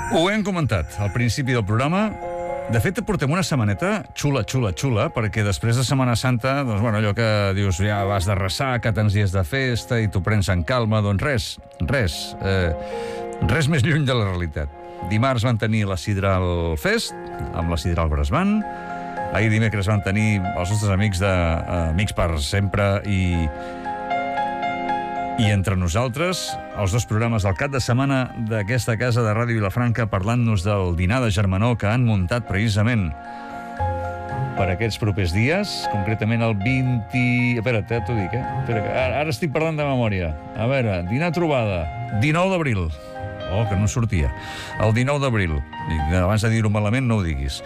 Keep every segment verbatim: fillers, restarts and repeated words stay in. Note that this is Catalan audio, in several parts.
Ho hem comentat al principi del programa. De fet, portem una setmaneta xula, xula, xula, perquè després de Setmana Santa, doncs, bueno, allò que dius, ja vas de ressaca, tants dies de festa i t'ho prens en calma, doncs res, res, eh, res més lluny de la realitat. Dimarts van tenir la Sidral Fest, amb la Sidral Bresban. Ahir dimecres van tenir els nostres amics de eh, Amics per Sempre i... I entre nosaltres, els dos programes del cap de setmana d'aquesta casa de Ràdio Vilafranca parlant-nos del dinar de germanor que han muntat precisament per aquests propers dies, concretament el vint... Espera't, eh, t'ho dic, eh? Espera, que ara, ara estic parlant de memòria. A veure, dinar trobada, dinou d'abril. Oh, que no sortia. El dinou d'abril. Abans de dir-ho malament, no ho diguis.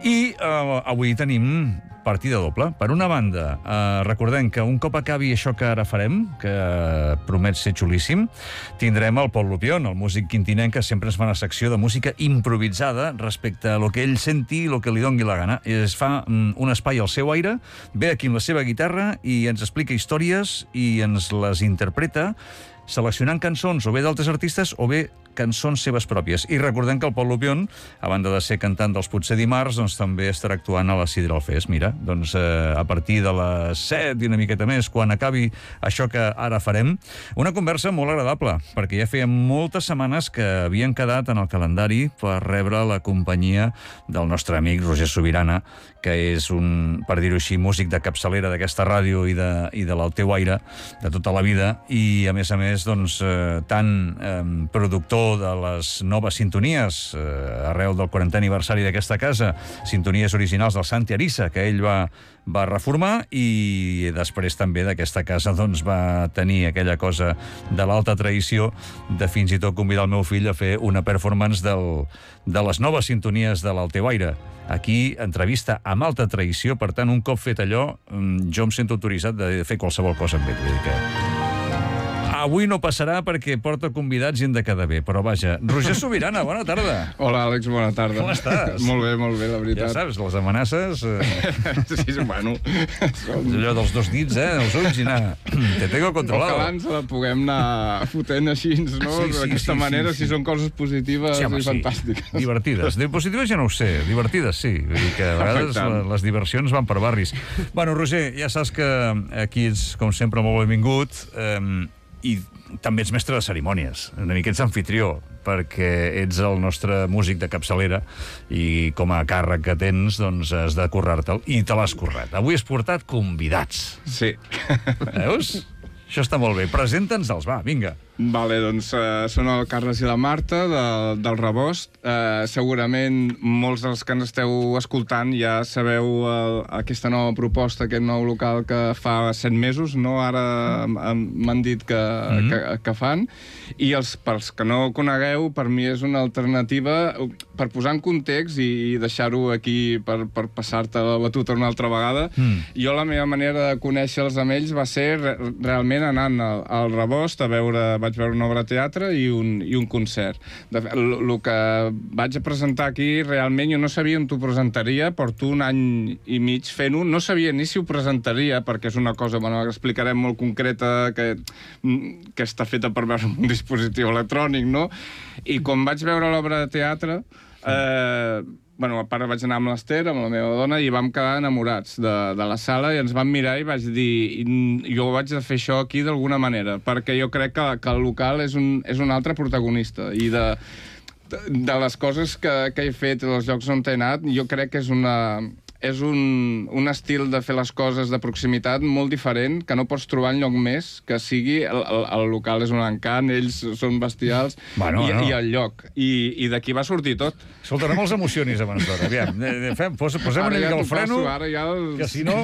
I eh, avui tenim partida doble. Per una banda, eh, recordem que un cop acabi això que ara farem, que eh, promet ser xulíssim, tindrem el Pol Lupion, el músic quintinenc que sempre ens fa una secció de música improvisada respecte a lo que ell senti i lo que li dongui la gana. Es fa mm, un espai al seu aire, ve aquí amb la seva guitarra i ens explica històries i ens les interpreta seleccionant cançons o bé d'altres artistes o bé cançons seves pròpies. I recordem que el Pol Lupion, a banda de ser cantant dels Potser Dimarts, doncs també estarà actuant a la Sidral Fest. Mira, doncs eh, a partir de les set i una miqueta més, quan acabi això que ara farem, una conversa molt agradable, perquè ja feia moltes setmanes que havien quedat en el calendari per rebre la companyia del nostre amic Roger Subirana, que és un, per dir-ho així, músic de capçalera d'aquesta ràdio i de, i de l'Al teu aire de tota la vida, i a més a més, doncs, eh, tant eh, productor de les noves sintonies eh, arreu del quarantè aniversari d'aquesta casa, sintonies originals del Santi Arissa, que ell va, va reformar, i després també d'aquesta casa doncs, va tenir aquella cosa de l'alta traïció de fins i tot convidar el meu fill a fer una performance del, de les noves sintonies de l'Al teu aire. Aquí, entrevista amb alta traïció, per tant, un cop fet allò, jo em sento autoritzat de fer qualsevol cosa amb ell. Vull dir que avui no passarà perquè porta convidats i hem de quedar bé, però vaja. Roger Subirana, bona tarda. Hola, Àlex, bona tarda. Com estàs? Molt bé, molt bé, la veritat. Ja saps, les amenaces... Eh... sí, bueno... Som... allò dels dos dits, eh, els ulls i anar... Te tengo controlado. Que abans la puguem anar fotent així, no? Sí, sí, d'aquesta sí, manera, sí, sí. Si són coses positives sí, home, i fantàstiques. Sí. Divertides. De positives ja no ho sé, divertides sí. Vull dir que a vegades la, les diversions van per barris. Bueno, Roger, ja saps que aquí ets, com sempre, molt benvingut, eh, i també ets mestre de cerimònies, una mica ets anfitrió, perquè ets el nostre músic de capçalera i com a càrrec que tens, doncs has de currar-te'l, i te l'has currat. Avui has portat convidats. Sí. Veus? Això està molt bé. Presenta'ns-els, va, vinga. Vale, doncs uh, són el Carles i la Marta de, del Rebost. Uh, segurament molts dels que ens esteu escoltant ja sabeu uh, aquesta nova proposta, aquest nou local que fa set mesos, no? Ara m'han dit que, mm-hmm. que, que fan. I els, pels que no ho conegueu, per mi és una alternativa per posar en context i, i deixar-ho aquí per, per passar-te la batuta una altra vegada. Mm. Jo la meva manera de conèixer-los amb ells va ser re realment anant al, al Rebost a veure... vaig veure una obra de teatre i un, i un concert. El que vaig a presentar aquí, realment jo no sabia on t'ho presentaria, porto un any i mig fent-ho, no sabia ni si ho presentaria, perquè és una cosa, bueno, que explicarem molt concreta, que, que està feta per veure un dispositiu electrònic, no? I quan vaig veure l'obra de teatre, eh, bueno, a part vaig anar amb l'Ester, amb la meva dona, i vam quedar enamorats de, de la sala, i ens vam mirar i vaig dir, jo vaig de fer això aquí d'alguna manera, perquè jo crec que, que el local és un, és un altre protagonista, i de, de, de les coses que, que he fet, dels llocs on he anat, jo crec que és una... és un, un estil de fer les coses de proximitat molt diferent, que no pots trobar enlloc més, que sigui... El, el, el local és un encant, ells són bestials, bueno, i, bueno. i el lloc. I, i d'aquí va sortir tot. Escolta, no me'ls emocionis abans d'hora. Aviam, fem, pos, posem una mica el freno, passo, ja els... que si no...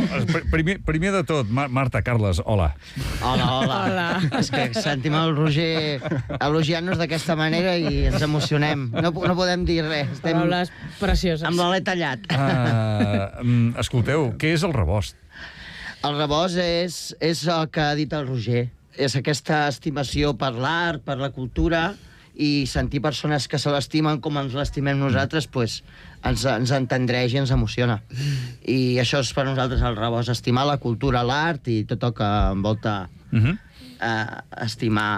Primer, primer de tot, Mar Marta, Carles, hola. Hola, hola. hola. És que sentim el Roger elogiant-nos d'aquesta manera i ens emocionem. No, no podem dir res. Estem paraules precioses. Amb l'alè tallat. Uh, escolteu, què és el Rebost? El Rebost és, és el que ha dit el Roger. És aquesta estimació per l'art, per la cultura, i sentir persones que se l'estimen com ens l'estimem nosaltres, pues, ens, ens entendreix i ens emociona. I això és per nosaltres el Rebost, estimar la cultura, l'art i tot el que envolta uh-huh. eh, estimar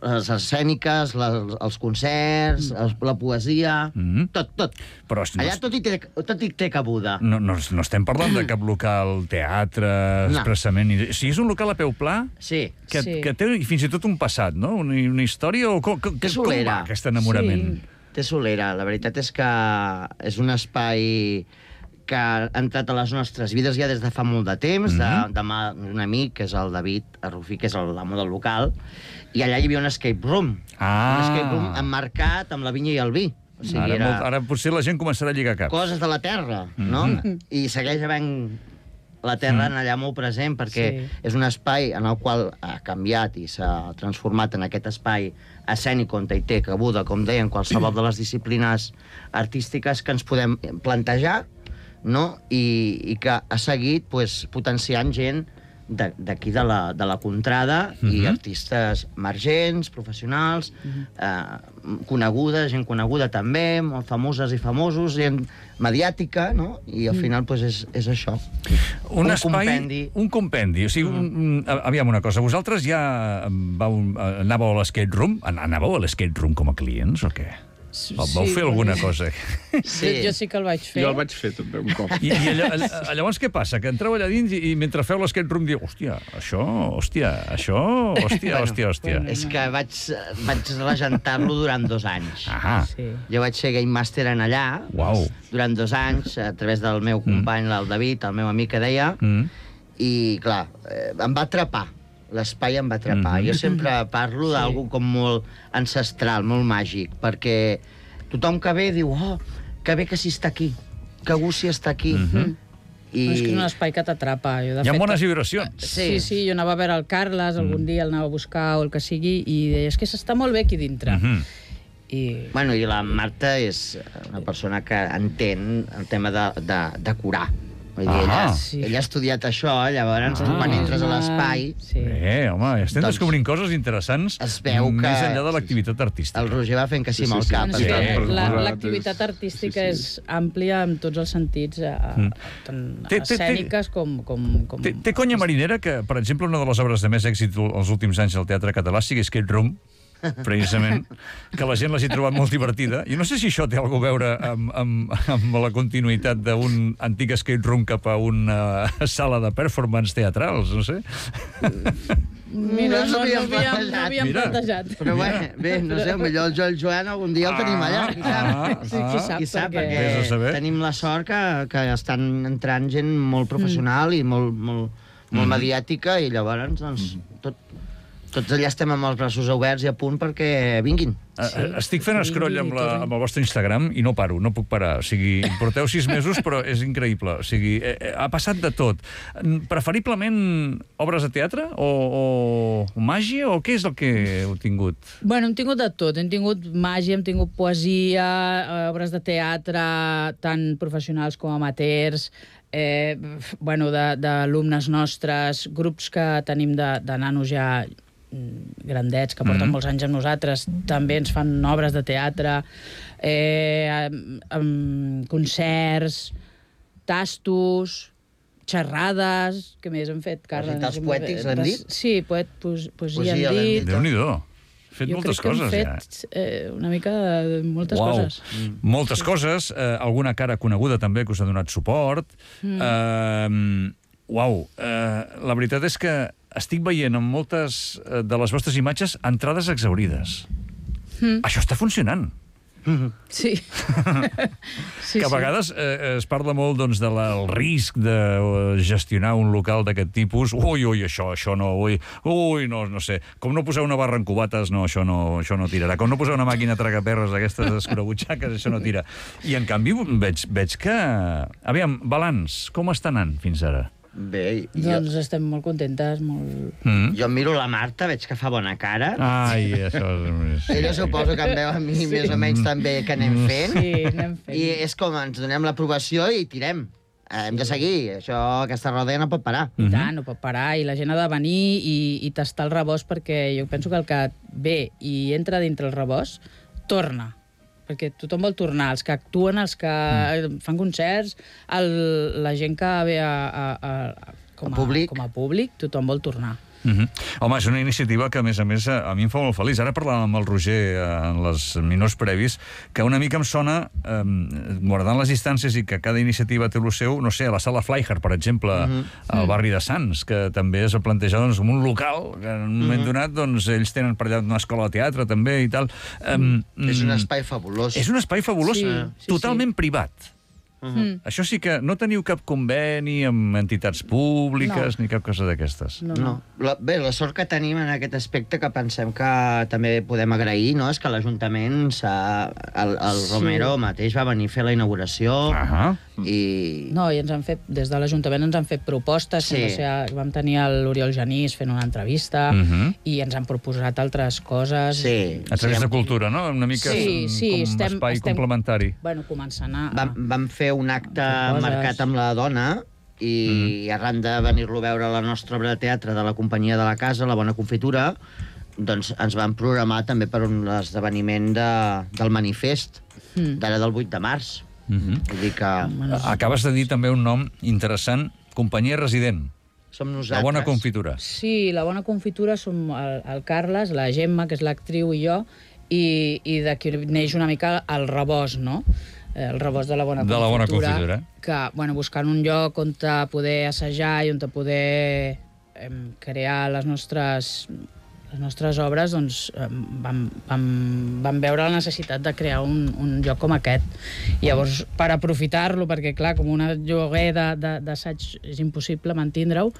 les escèniques, la, els concerts, mm. la poesia, mm. tot, tot. Però no, allà tot hi té, tot hi té cabuda. No, no, no estem parlant de cap local teatre, no. expressament... O sigui, és un local a peu pla sí. Que, sí. que té fins i tot un passat, no? Una, una història o com, com, com va aquest enamorament? Sí. Té solera. La veritat és que és un espai que ha entrat a les nostres vides ja des de fa molt de temps, mm-hmm. de, de un amic, que és el David Arrufí, que és l'amo del local, i allà hi havia un escape room. Ah. Un escape room emmarcat amb la vinya i el vi. O sigui, ara, era... molt, ara potser la gent començarà a lligar caps. Coses de la terra, mm-hmm. no? I segueix havent la terra mm. allà molt present, perquè sí. és un espai en el qual ha canviat i s'ha transformat en aquest espai escènic on hi té cabuda, com deien, qualsevol de les disciplines artístiques que ens podem plantejar, no? I, i que ha seguit pues, potenciant gent d'aquí de, de, la, de la contrada mm-hmm. i artistes emergents, professionals, mm-hmm. eh, coneguda, gent coneguda també, molt famoses i famosos, gent mediàtica, no? I al final pues, és, és això. Un, un espai, compendi. Un compendi. O sigui, mm. un, un, aviam una cosa, vosaltres ja vau, anàveu a l'escape room? Anàveu a l'escape room com a clients o què? Sí, vau fer alguna cosa? Sí. Jo sí que el vaig fer. Jo el vaig fer també un cop. I, i allò, llavors què passa? Que entreu allà dins i, i mentre feu l'escape room diu, hòstia, això, hòstia, això, hòstia, bueno, hòstia, hòstia. Bueno, és que vaig, vaig regentar-lo durant dos anys. Ah. Sí. Jo vaig ser Game Master en allà Uau. durant dos anys, a través del meu company, mm. el David, el meu amic que deia, mm. i clar, em va atrapar. L'espai em va atrapar. Mm-hmm. Jo sempre parlo sí. d'algú com molt ancestral, molt màgic, perquè tothom que ve diu, oh, que bé que s'hi està aquí, que gust s'hi està aquí. Mm-hmm. I... No, és que és un espai que t'atrapa. Hi ha fet, bones vibracions. Sí. sí, sí, jo anava a veure el Carles, algun mm. dia el anava a buscar o el que sigui, i deia, és que s'està molt bé aquí dintre. Mm-hmm. I... Bueno, i la Marta és una persona que entén el tema de, de, de curar. Vull dir, ella, sí. ella ha estudiat això, llavors, ah, quan entres a l'espai... Sí. Bé, home, estem doncs, descobrint coses interessants es veu que més enllà de l'activitat artística. El Roger va fent que sí amb el cap. Sí, sí, sí. L'activitat artística sí, sí. és àmplia en tots els sentits, mm. tant té, escèniques té, com... com, com... Té, té conya marinera que, per exemple, una de les obres de més èxit els últims anys del teatre català sigui Escape Room, precisament, que la gent l'hagi trobat molt divertida. I no sé si això té alguna a veure amb, amb, amb la continuïtat d'un antic escape room cap a una sala de performance teatrals, no sé. Mira, no, no, no, havíem, no havíem plantejat. Però bé, bé, no sé, potser el Joel Joan algun dia el tenim allà, qui sap? Ah, sí, qui sap, qui sap perquè, perquè tenim la sort que, que estan entrant gent molt professional mm. i molt, molt, molt mm. mediàtica, i llavors, doncs, tot... Tots allà estem amb els braços oberts i a punt perquè vinguin. Sí, Estic fent sí, escroll amb, la, amb el vostre Instagram i no paro, no puc parar. O sigui, porteu sis mesos, però és increïble. O sigui, eh, ha passat de tot. Preferiblement obres de teatre o, o màgia, o què és el que heu tingut? Bueno, hem tingut de tot. Hem tingut màgia, hem tingut poesia, obres de teatre, tant professionals com amateurs, eh, bueno, d'alumnes nostres, grups que tenim de, de nanos ja grandets, que porten mm-hmm. molts anys amb nosaltres, també ens fan obres de teatre, eh, amb, amb concerts, tastos, xerrades... Què més hem fet, Carles? Recitats poètics, l'hem dit? Sí, poet, poesia, poesia hem dit. Déu-n'hi-do. Hem fet jo moltes crec que coses, hem fet ja. eh, una mica de moltes Uau. coses. Mm. Moltes sí. coses, eh, alguna cara coneguda també que us ha donat suport. Mm. Eh, uau, eh, la veritat és que estic veient en moltes de les vostres imatges entrades exaurides. Mm. Això està funcionant. Sí. sí que a vegades eh, es parla molt doncs, del risc de gestionar un local d'aquest tipus. Ui, ui, això, això no, ui, ui, no, no sé. Com no posar una barra en cubates, no, això no, això no tirarà. Com no posar una màquina tragaperres d'aquestes escurabutxaques, això no tira. I en canvi veig, veig que... Aviam, balanç, com està anant fins ara? Bé, jo... Doncs estem molt contentes, molt... Mm. Jo miro la Marta, veig que fa bona cara. Ai, això és... Ella suposo que em veu a mi sí. més o menys també que anem fent. Sí, anem fent. I és com ens donem l'aprovació i tirem. Hem de seguir. Això, aquesta roda no pot parar. I tant, no pot parar. I la gent ha de venir i, i tastar el rebost, perquè jo penso que el que ve i entra dintre el rebost, torna. Perquè tothom vol tornar, els que actuen, els que mm. fan concerts, el, la gent que ve a, a, a, com, a, a públic. com a públic, tothom vol tornar. Uh-huh. Home, és una iniciativa que, a més a més, a mi em fa molt feliç. Ara parlàvem amb el Roger en els minuts previs, que una mica em sona, eh, guardant les distàncies i que cada iniciativa té el seu, no sé, a la sala Flyhard, per exemple, uh-huh. al barri de Sants, que també es va plantejar doncs, com un local, que en un moment uh-huh. donat doncs, ells tenen per allà una escola de teatre també i tal. Um, és un espai fabulós. És un espai fabulós, Sí, sí, totalment sí. privat. Mm. Això sí que no teniu cap conveni amb entitats públiques no. ni cap cosa d'aquestes. No, no. La, bé, la sort que tenim en aquest aspecte que pensem que també podem agrair, no?, és que l'Ajuntament, el, el sí. Romero mateix va venir a fer la inauguració uh-huh. i... No, i ens han fet, des de l'Ajuntament ens han fet propostes, Sí. o sigui, vam tenir l'Oriol Genís fent una entrevista uh-huh. i ens han proposat altres coses. Sí. A través sí, de cultura, no? Una mica Sí, sí, com estem- espai estem- complementari. Bueno, començant a... Vam, vam fer un acte Coses. marcat amb la dona i mm. arran de venir-lo a veure a la nostra obra de teatre de la companyia de la casa, La Bona Confitura, doncs ens van programar també per un esdeveniment de, del manifest mm. d'ara del vuit de març. Uh-huh. Vull dir que Acabes de dir també un nom interessant, companyia resident, som nosaltres. La Bona Confitura. Sí, La Bona Confitura som el, el Carles, la Gemma, que és l'actriu, i jo, i, i d'aquí neix una mica el rebost, no? El rebost de La Bona De Confitura. La Bona Confitura. Que, bueno, buscant un lloc on te poder assajar i on te poder em, crear les nostres, les nostres obres, doncs em, vam, vam, vam veure la necessitat de crear un, un lloc com aquest. I llavors, per aprofitar-lo, perquè, clar, com un lloguer de- de- d'assaig és impossible mantindre-ho,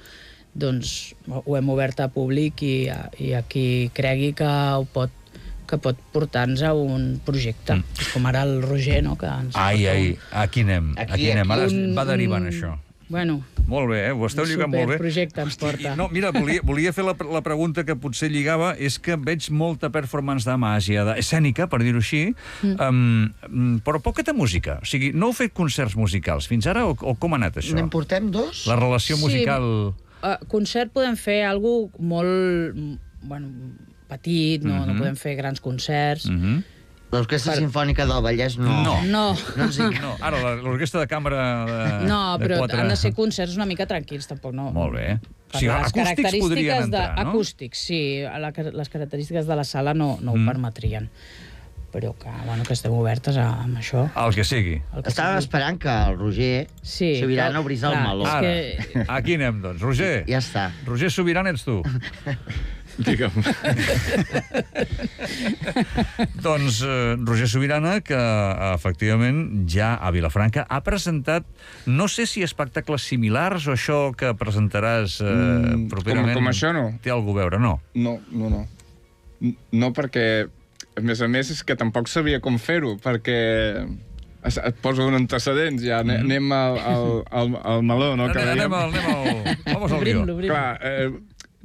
doncs ho hem obert a públic i, a- i a qui cregui que ho pot que pot portar-nos a un projecte, mm. com ara el Roger, no?, que ens Ai, porta ai, un- aquí anem, aquí, Aquí, anem. Ara un- va derivant un- això. Bueno, Molt bé, eh? Ho esteu un lligant molt bé. superprojecte ens porta. I, no, mira, volia, volia fer la, la pregunta que potser lligava, és que veig molta performance de màgia, de, escènica, per dir-ho així, mm. um, però poca de música. O sigui, no heu fet concerts musicals fins ara, o, o com ha anat això? N'en portem dos? La relació musical... Sí, uh, concert podem fer algo molt, bueno, petit, no, Mhm. no podem fer grans concerts. Mm -hmm. L'Orquestra Per- Simfònica del Vallès no. No. No, No ens dic. No, ara, la- l'orquestra de cambra de, no, de però quatre... han de ser concerts una mica tranquils, tampoc no. Molt bé. Per O sigui, les acústics característiques podrien de, entrar, no? Acústics, sí. La, les característiques de la sala no, no ho Mm. permetrien. Però que, bueno, que estem obertes a, amb això. El que sigui. El que Estàvem sigui. esperant que el Roger Sí, Sobirana clar, obrís el clar, meló. és Ara, que- aquí anem, doncs. Roger. Ja està. Roger Sobirana ets tu. Digue'm. Doncs eh, Roger Sobirana, que efectivament ja a Vilafranca ha presentat, no sé si espectacles similars o això que presentaràs eh, Mm, properament... com- com això no. Té algú a veure, no? No, no, no. N- No, perquè, a més a més, és que tampoc sabia com fer-ho, perquè es- et poso un antecedents, ja. Mm -hmm. Anem al, al, al, al meló, no? que Anem, dèiem. anem, al, anem al... Vamos al Obrim-lo, guió. obrim-lo. Clar, eh,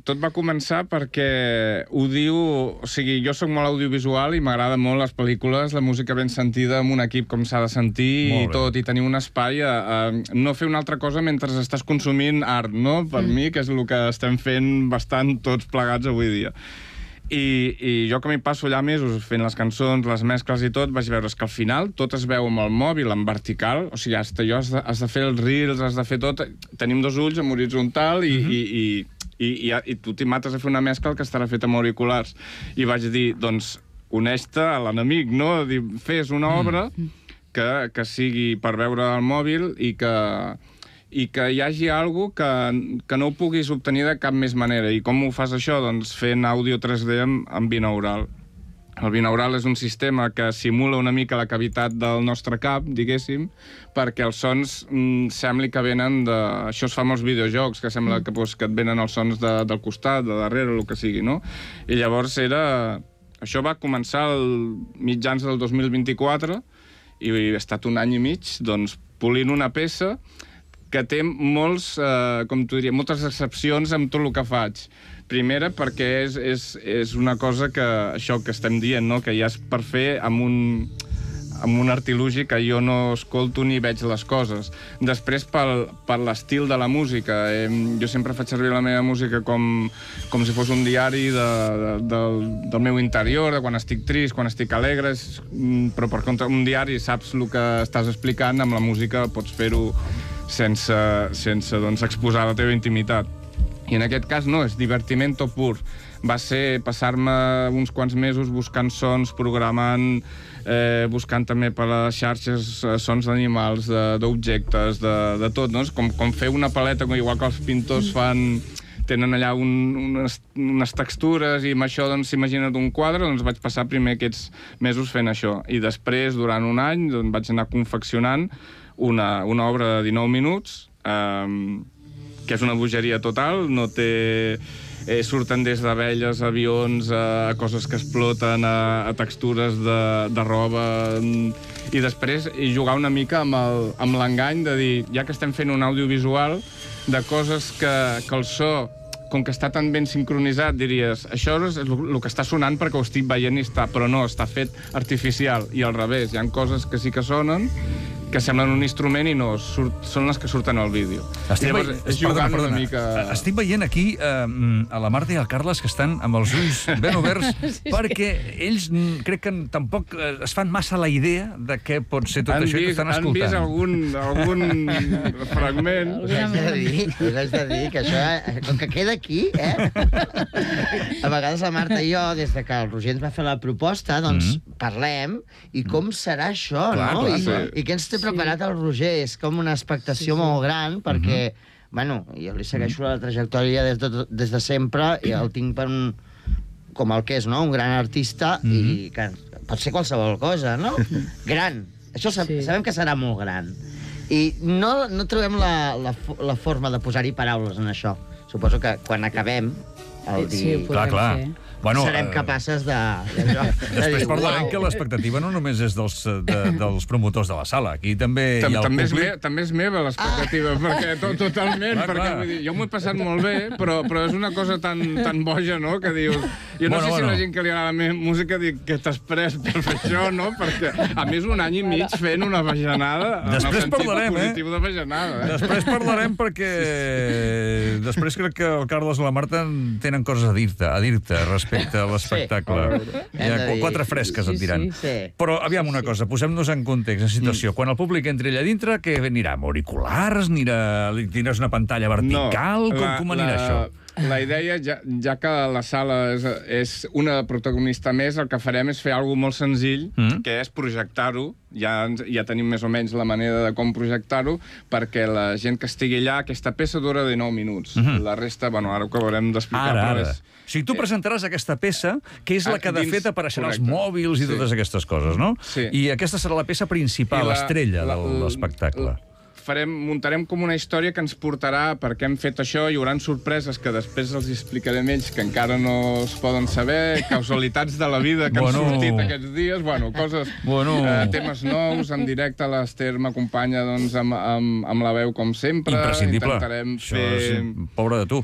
tot va començar perquè ho diu... O sigui, jo sóc molt audiovisual i m'agrada molt les pel·lícules, la música ben sentida, amb un equip com s'ha de sentir Molt i bé. tot, i tenir un espai a, a no fer una altra cosa mentre estàs consumint art, no? Per mm. mi, que és el que estem fent bastant tots plegats avui dia. I, i jo que m'hi passo allà mesos fent les cançons, les mescles i tot, vaig veure que al final tot es veu amb el mòbil en vertical, o sigui, hasta allò has de, has de fer els reels, has de fer tot... Tenim dos ulls en horitzontal i, Mhm. i, i, i, i, i tu t'hi mates a fer una mescla que estarà feta amb auriculars. I vaig dir, doncs, uneix-te a l'enemic, no? Dir, fes una obra que, que sigui per veure al mòbil i que... i que hi hagi alguna que, que no ho puguis obtenir de cap més manera. I com ho fas això? Doncs fent àudio tres D amb, amb binaural. El binaural és un sistema que simula una mica la cavitat del nostre cap, diguéssim, perquè els sons mm, sembli que venen de... Això es fa amb els videojocs, que sembla que, doncs, que et venen els sons de, del costat, de darrere, el que sigui, no? I llavors era... Això va començar el mitjans del dos mil vint-i-quatre i he estat un any i mig, doncs, polint una peça que té molts, eh, com t'ho diria, moltes excepcions amb tot el que faig. Primera, perquè és, és, és una cosa que, això que estem dient, no? Que ja és per fer amb un, amb un artilugi que jo no escolto ni veig les coses. Després, pel, per l'estil de la música. Eh, jo sempre faig servir la meva música com, com si fos un diari de, de, del, del meu interior, de quan estic trist, quan estic alegre, és, però per contra un diari saps el que estàs explicant, amb la música pots fer-ho sense, sense doncs, exposar la teva intimitat. I en aquest cas no, és divertimento pur. Va ser passar-me uns quants mesos buscant sons, programant, eh, buscant també per les xarxes eh, sons d'animals, d'objectes, de, de, de tot, no? És com, com fer una paleta, igual que els pintors fan... tenen allà un, unes, unes textures i amb això, doncs, s'imagina't un quadre, doncs vaig passar primer aquests mesos fent això. I després, durant un any, doncs, vaig anar confeccionant una, una obra de dinou minuts, eh, que és una bogeria total, no té... Eh, surten des d'abelles, avions, a coses que exploten, a, a textures de, de roba... I després i jugar una mica amb l'engany de dir, ja que estem fent un audiovisual, de coses que, que el so, com que està tan ben sincronitzat, diries, això és el que està sonant perquè ho estic veient i està, però no, està fet artificial. I al revés, hi ha coses que sí que sonen, que semblen un instrument i no, surt, són les que surten al vídeo. Estic, llavors, ve... perdona, perdona. Una mica... Estic veient aquí eh, a la Marta i al Carles que estan amb els ulls ben oberts sí, perquè ells crec que tampoc es fan massa la idea de què pot ser tot han això vist, que estan escoltant. Han vist algun, algun fragment. Us haig de dir, us haig de dir que això, com que queda aquí, eh? A vegades la Marta i jo, des de que el Roger ens va fer la proposta, doncs mm. parlem i com serà això, clar, no? Clar, I, sí. I què ens té preparat el Roger? És com una expectació sí, sí. molt gran, perquè, mm-hmm. bueno, jo li segueixo la trajectòria des de, des de sempre i el tinc per un... com el que és, no? Un gran artista mm-hmm. i que pot ser qualsevol cosa, no? Gran. Això sab sí. sabem que serà molt gran. I no, no trobem la, la, la forma de posar-hi paraules en això. Suposo que quan acabem el dir... Sí, clar, clar. Fer. Bueno, serem capaces de... de, de després parlarem que l'expectativa no només és dels, de, dels promotors de la sala. Aquí també hi ha el també públic. És me, també és meva l'expectativa, ah. perquè to, totalment, clar, perquè clar. Vull dir, jo m'ho he passat molt bé, però, però és una cosa tan, tan boja, no?, que dius... Jo no bueno, sé bueno. si la gent que li agrada la meva música diu que t'has pres per fer això, no?, perquè a més un any i mig fent una bajanada, després en el parlarem, sentit positiu eh? de bajanada. Eh? Després parlarem perquè... Després crec que el Carles i la Marta tenen coses a dir-te, a dir-te respecte a l'espectacle. Sí. Hi ha quatre fresques, et diran. Sí, sí, sí. Però, aviam, una cosa, posem-nos en context, en situació. Mm. Quan el públic entri allà dintre, què anirà? Amb auriculars? Anirà... Tindràs una pantalla vertical? No, com, la, com anirà la... això? La idea, ja, ja que la sala és, és una protagonista més, el que farem és fer alguna molt senzill, mm. que és projectar-ho. Ja, ja tenim més o menys la manera de com projectar-ho, perquè la gent que estigui allà, aquesta peça dura dinou minuts. Mm -hmm. La resta, bueno, ara ho acabarem d'explicar. Ara, ara. És... O sigui, tu presentaràs aquesta peça, que és la que de fet apareixerà als mòbils i sí. totes aquestes coses, no? Sí. I aquesta serà la peça principal, l'estrella de l'espectacle. Farem, muntarem com una història que ens portarà per què hem fet això, hi haurà sorpreses que després els explicarem ells, que encara no es poden saber, causalitats de la vida que bueno. han sortit aquests dies, bueno, coses, bueno. eh, temes nous, en directe l'Ester m'acompanya doncs, amb, amb, amb la veu com sempre. Imprescindible. Intentarem això fer... és... Pobre de tu.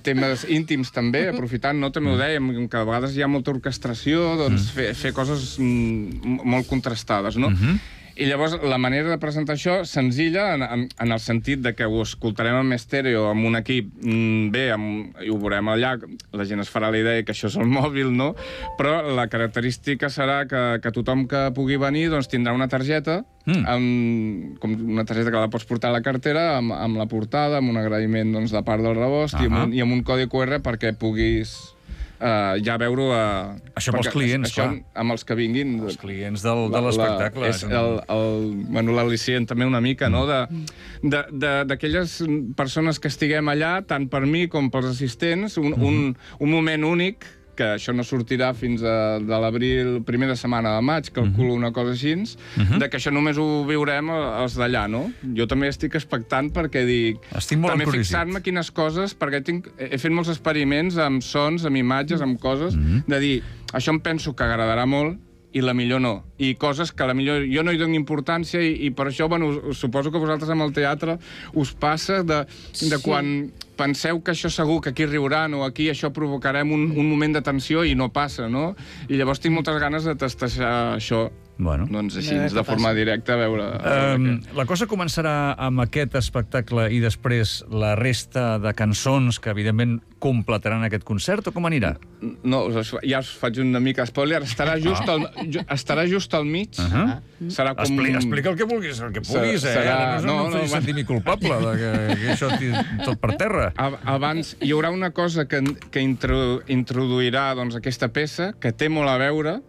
Temes íntims també, aprofitant, no? També ho dèiem, que a vegades hi ha molta orquestració, doncs mm. fer, fer coses mm, molt contrastades, no? Mm-hmm. I llavors la manera de presentar això, senzilla, en, en, en el sentit de que ho escoltarem en estèreo, amb un equip mm, bé, amb, i ho veurem allà, la gent es farà la idea que això és el mòbil, no? Però la característica serà que, que tothom que pugui venir doncs, tindrà una targeta, mm. amb, com una targeta que la pots portar a la cartera, amb, amb la portada, amb un agraïment doncs, de part del Rebost, uh-huh. i, amb un, i amb un codi Q R perquè puguis... Uh, ja veure-ho... Uh, això pels clients, això, clar. Amb els que vinguin... Els clients del, de l'espectacle. És el, el, bueno, l'al·licient també una mica, mm. no?, d'aquelles persones que estiguem allà, tant per mi com pels assistents, un, mm. un, un moment únic, que això no sortirà fins a de l'abril, primera setmana de maig, calculo mm-hmm. una cosa així, mm-hmm. de que això només ho viurem els d'allà, no? Jo també estic expectant perquè dic... Estic molt també fixar-me quines coses, perquè tinc, he fet molts experiments amb sons, amb imatges, amb coses, mm-hmm. de dir, això em penso que agradarà molt, i la millor no. I coses que la millor jo no hi dono importància i, i per això, bueno, suposo que vosaltres amb el teatre us passa de, de sí. quan penseu que això segur, que aquí riuran o aquí això provocarem un, un moment de tensió i no passa, no? I llavors tinc moltes ganes de testejar això. Bueno. Doncs així, A veure de què forma passa. directa, a veure... a veure Um, què. la cosa començarà amb aquest espectacle i després la resta de cançons que, evidentment, completaran aquest concert, o com anirà? No, us, ja us faig una mica spoiler. Estarà just, al, ju, estarà just al mig. Uh -huh. Serà com... Expli explica el que vulguis, el que puguis, eh? Serà- No, no, no, no, em facis no, sentir-m'hi culpable de que, que això tiri tot per terra. A- Abans hi haurà una cosa que, que intro, introduirà doncs, aquesta peça, que té molt a veure,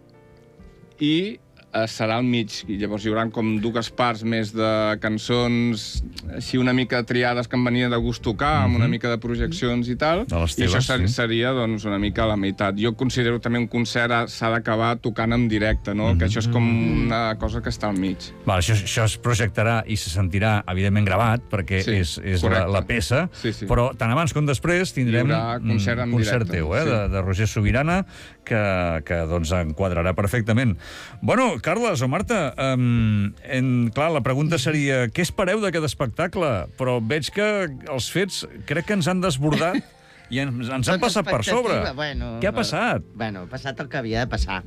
i eh, serà al mig. I llavors hi haurà com dues parts més de cançons així una mica triades que em venia de gust tocar, amb una mica de projeccions i tal. De les I això teves, ser, sí. seria doncs, una mica la meitat. Jo considero també un concert ha- s'ha d'acabar tocant en directe, no? Que això és com una cosa que està al mig. Val, això, això es projectarà i se sentirà, evidentment, gravat, perquè Sí, és, és la, correcte. la peça, Sí, sí. però tant abans com després tindrem Hi haurà concert en un concert directe, teu, eh, sí. de, de Roger Sobirana, que, que doncs, enquadrarà perfectament. Bueno, Carles o Marta, um, en, clar, la pregunta seria què espereu d'aquest espectacle? Però veig que els fets crec que ens han desbordat i ens, ens han Tota passat per sobre. expectativa, bueno, Què ha no. passat? Bueno, ha passat el que havia de passar.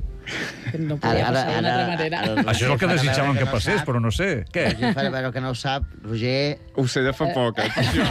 No podia passar d'una altra manera. Això és el que desitjaven que passés, però no sé. Què? Roger farà veure que no ho sap. Roger, Ho sé de fa poc, eh? per això.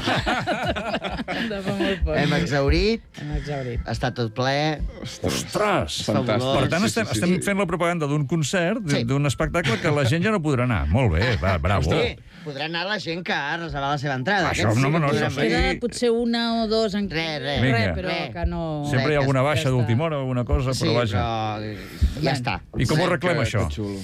De fa molt poc. hem exhaurit, Hem exhaurit. està tot ple. Ostres! Fantàstic. Per tant, Sí, estem, sí, sí, estem sí. fent la propaganda d'un concert, Sí. d'un espectacle que la gent ja no podrà anar. Molt bé, va, bravo. Sí, podrà anar la gent que ha reservat la seva entrada. Això Aquests no, sí que no, podran això venir. sí. Queda potser una o dos en... Res, res. Vinga. Res, però Res. que no... Sempre hi ha alguna baixa Ja d'última està. hora o alguna cosa, Sí, però vaja. però ja està. I com ho Sí. arreglem, Que- això? que xulo.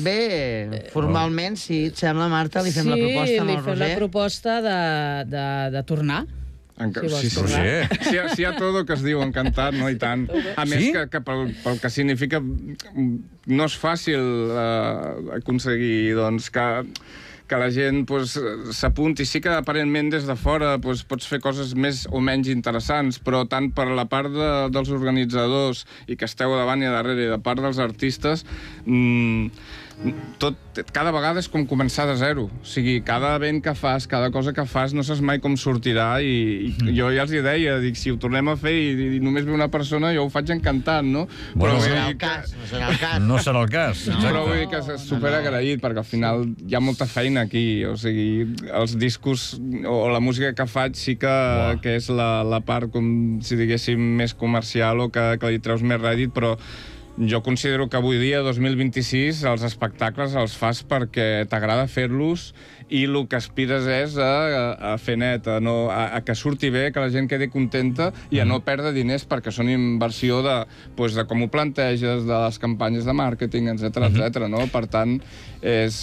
Bé, formalment, sí, et sembla, Marta? Li fem sí, la proposta amb li el fem la Roger? proposta de, de, de tornar. Enca... Si vols Sí, sí, tornar. Roger. Sí, hi ha- sí, hi ha tot que es diu encantat, no? I tant. A més, Sí? que, que pel, pel que significa no és fàcil eh, aconseguir doncs, que, que la gent pues, s'apunti. Sí que aparentment des de fora pues, pots fer coses més o menys interessants, però tant per la part de, dels organitzadors i que esteu davant i a darrere i de part dels artistes, mmm, tot, cada vegada és com començar de zero. O sigui, cada event que fas, cada cosa que fas, no saps mai com sortirà i, i jo ja els hi deia, dic, si ho tornem a fer i, i només ve una persona, jo ho faig encantant, no? Bueno, No vull serà dir el que- cas, no serà el cas. No serà el cas, No. Però vull exacte. dir que és superagraït, perquè al final hi ha molta feina aquí. O sigui, els discos o la música que faig sí que, Uah. que és la, la part, com si diguéssim, més comercial o que, que li treus més rèdit, però jo considero que avui dia, dos mil vint-i-sis, els espectacles els fas perquè t'agrada fer-los i el que aspires és a, a, a fer net, a, no, a, a que surti bé, que la gent quedi contenta i a no perdre diners perquè són inversió de, pues, de com ho planteges, de les campanyes de màrqueting, etcètera, etcètera, no? Per tant, és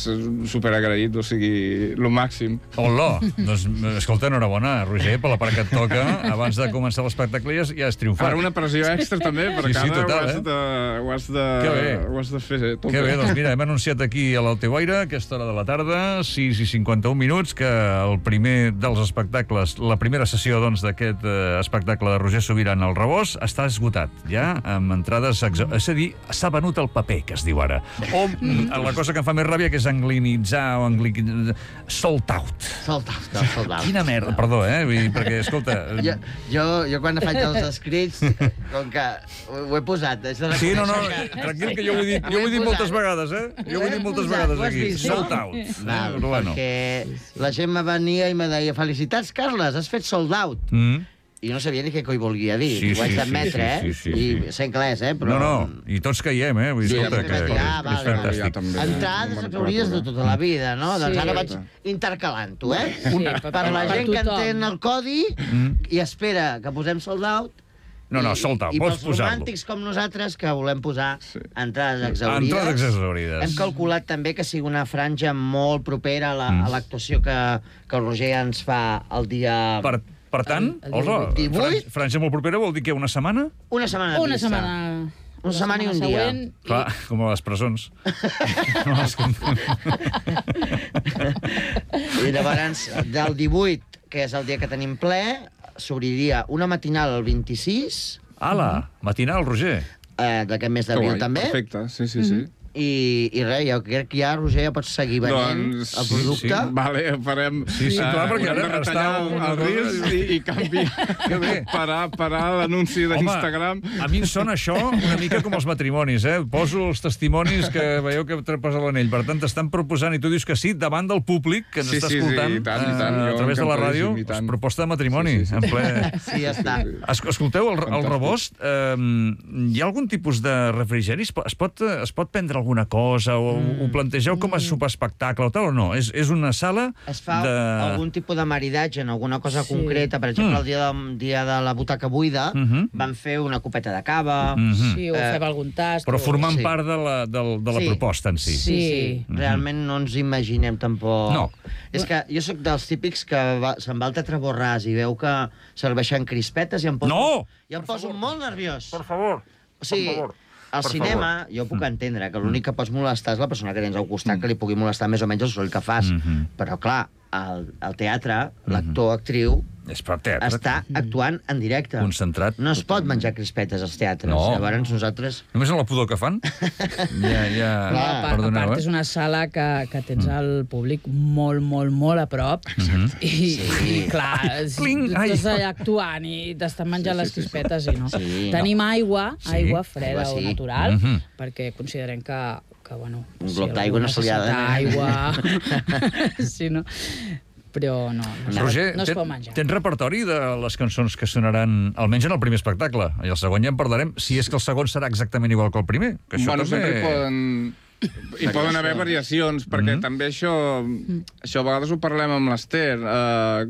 superagraït, o sigui, lo màxim. Hola, doncs, escolta, enhorabona, Roger, per la part que et toca. Abans de començar l'espectacle ja, has- ja has triomfat. Ara una pressió extra també, perquè Sí, sí, ara total, ho, has eh? de, ho, has de, Que bé. ho has de fer tot Que bé, doncs mira, hem anunciat aquí a l'Alteboira, a aquesta hora de la tarda, sis i cinquanta-un minuts, que el primer dels espectacles, la primera sessió doncs, d'aquest eh, espectacle de Roger Sobirana al Rebost, està esgotat, ja, amb entrades... Exa... És a dir, s'ha venut el paper, que es diu ara. O mm, la cosa que em fa més ràbia, que és anglinitzar o angli... sold out. Sold out, no, sold out. Quina merda, perdó, eh? Vull dir, perquè, escolta... Jo, jo, jo quan faig els escrits, com que ho, ho he posat, és de Sí, no, no, reconèixer que- tranquil, que jo ho he dit, jo ho he dit moltes vegades, eh? Jo ho he dit moltes Ho vegades has aquí. vist, no? Sold out. Val, Però bueno. perquè la gent me venia i me deia felicitats, Carles, has fet sold out. Mm. I no sabia ni què coi volia dir. Sí, Ho haig sí, d'admetre, sí, eh? sí, sí, sí. I sé anglès, eh? Però... No, no, i tots caiem, eh? Vull dir, Sí, escolta, ja que, m'ho que vaig dir. Ah, és vale, fantàstic. Ja també. Entrades No me'n exaurides de recordo. tota la vida, no? Sí. Doncs ara vaig intercalant-ho, eh? Sí, Per la per gent que tothom. entén el codi i espera que posem sold out. No, no, sold out, I vols pels posar-lo. romàntics com nosaltres, que volem posar Sí. entrades exaurides. Entrades exaurides. Hem calculat també que sigui una franja molt propera a la- Mm. a l'actuació que, que el Roger ens fa el dia... Per, per tant, El- el hola, divuit. fran- franja molt propera vol dir que una setmana? Una setmana de Una pista. setmana... Una setmana i un dia. següent, Clar, com a les presons. No, les com- I llavors, del divuit, que és el dia que tenim ple, s'obriria una matinal el vint-i-sis, Ala, matinal, Roger. eh, d'aquest mes Que d'abril guai, també, Perfecte, sí, sí, sí. I, i res, jo crec que ja, Roger, ja pots seguir venent Doncs, el producte. sí, sí. Vale, farem... Sí, sí, clar, perquè haurem de ara retallar està el, una el cosa- risc i, i canviar, Que bé. parar, parar l'anunci d'Instagram. A mi em sona això una mica com els matrimonis, eh? Poso els testimonis que veieu que trepes a l'anell. Per tant, t'estan proposant, i tu dius que sí, davant del públic que ens Sí, està sí, sí, escoltant i tant, i tant. eh, a Jo través de la ràdio, encantadíssim, i tant. pues, proposta de matrimoni, Sí, sí, sí. en ple... Sí, ja està. Es- Escolteu, el, el Fantàstic. rebost, eh, hi ha algun tipus de refrigeri? Es pot, es pot, es pot prendre alguna cosa? O mm. ho plantegeu com a superespectacle o tal o no? És, és una sala Es fa de... algun tipus de maridatge en alguna cosa Sí. concreta. Per exemple, Mm. el dia de, dia de la butaca buida Mhm. van fer una copeta de cava. Mhm. Sí, o Eh, fem algun tast. Però o- formant Sí. part de la, del, de la Sí. proposta en si. Sí, sí. Sí. Realment no ens imaginem tampoc... No. És que jo sóc dels típics que va, se'n va al Teatre Borràs i veu que serveixen crispetes i em poso, No! i em poso molt nerviós. Per favor. O sigui, favor. al Per cinema jo puc entendre que l'únic que pots molestar és la persona que tens al costat, que li pugui molestar més o menys el soroll que fas. Mhm. Però, clar, al, al teatre, l'actor, actriu, És per teatre. està actuant en directe. Concentrat. No es pot menjar crispetes als teatres. No. Llavors nosaltres... Només en la pudor que fan? Ja, ja... No, a, part, a Perdoneu, part, eh? és una sala que, que tens el públic molt, molt, molt a prop. I, Sí. i clar, si Cling, tu ai. estàs allà actuant i t'estan menjant les crispetes i no. Sí, Tenim aigua, Sí. aigua freda Aigua o sí. natural, Mhm. perquè considerem que, que bueno... Un glob d'aigua algú no se li ha de necessita donar. aigua... sí, no? Però no, no, no, Roger, no es ten- pot menjar. tens repertori de les cançons que sonaran, almenys en el primer espectacle, i el segon ja en parlarem, si és que el segon serà exactament igual que el primer. Que això Bueno, també... sempre hi poden... Hi poden haver variacions, perquè Mhm. també això, això a vegades ho parlem amb l'Ester, eh,